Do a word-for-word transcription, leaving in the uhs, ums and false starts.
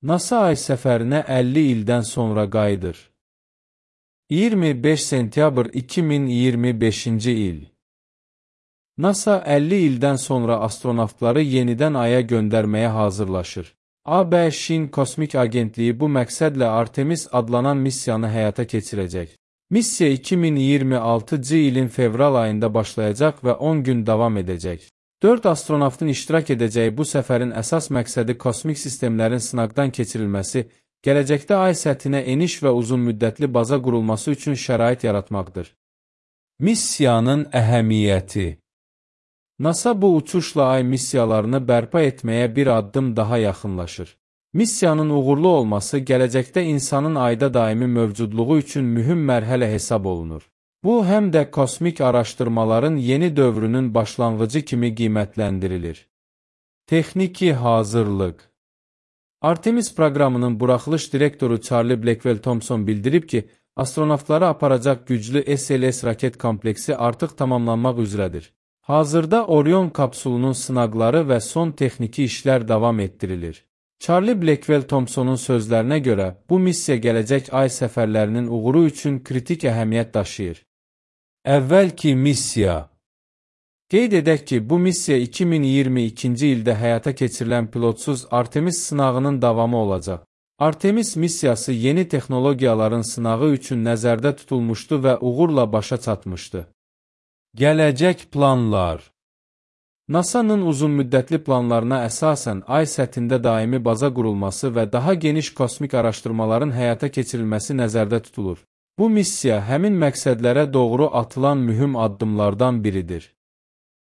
NASA ay səfərinə əlli ildən sonra qayıdır. iyirmi beş sentyabr iki min iyirmi beşinci il. NASA əlli ildən sonra astronavtları yenidən Aya göndərməyə hazırlaşır. ABŞ-in Kosmik Agentliyi bu məqsədlə Artemis adlanan missiyanı həyata keçirəcək. Missiya iki min iyirmi altıncı ilin fevral ayında başlayacaq və on gün davam edəcək. dörd astronavtın iştirak edəcəyi bu səfərin əsas məqsədi kosmik sistemlərin sınaqdan keçirilməsi, gələcəkdə ay səthinə eniş və uzun müddətli baza qurulması üçün şərait yaratmaqdır. Missiyanın əhəmiyyəti. NASA bu uçuşla ay missiyalarını bərpa etməyə bir addım daha yaxınlaşır. Missiyanın uğurlu olması gələcəkdə insanın ayda daimi mövcudluğu üçün mühüm mərhələ hesab olunur. Bu, həm də kosmik araşdırmaların yeni dövrünün başlanğıcı kimi qiymətləndirilir. Texniki hazırlıq. Artemis proqramının buraxılış direktoru Charlie Blackwell-Thompson bildirib ki, astronavtları aparacaq güclü S L S raket kompleksi artıq tamamlanmaq üzrədir. Hazırda Orion kapsulunun sınaqları və son texniki işlər davam etdirilir. Charlie Blackwell-Thompsonun sözlərinə görə, bu missiya gələcək ay səfərlərinin uğuru üçün kritik əhəmiyyət daşıyır. Əvvəlki missiya. Qeyd edək ki, bu missiya iki min iyirmi ikinci ildə həyata keçirilən pilotsuz Artemis sınağının davamı olacaq. Artemis missiyası yeni texnologiyaların sınağı üçün nəzərdə tutulmuşdu və uğurla başa çatmışdı. Gələcək planlar. NASA'nın uzunmüddətli planlarına əsasən ay səthində daimi baza qurulması və daha geniş kosmik araşdırmaların həyata keçirilməsi nəzərdə tutulur. Bu missiya həmin məqsədlərə doğru atılan mühüm addımlardan biridir.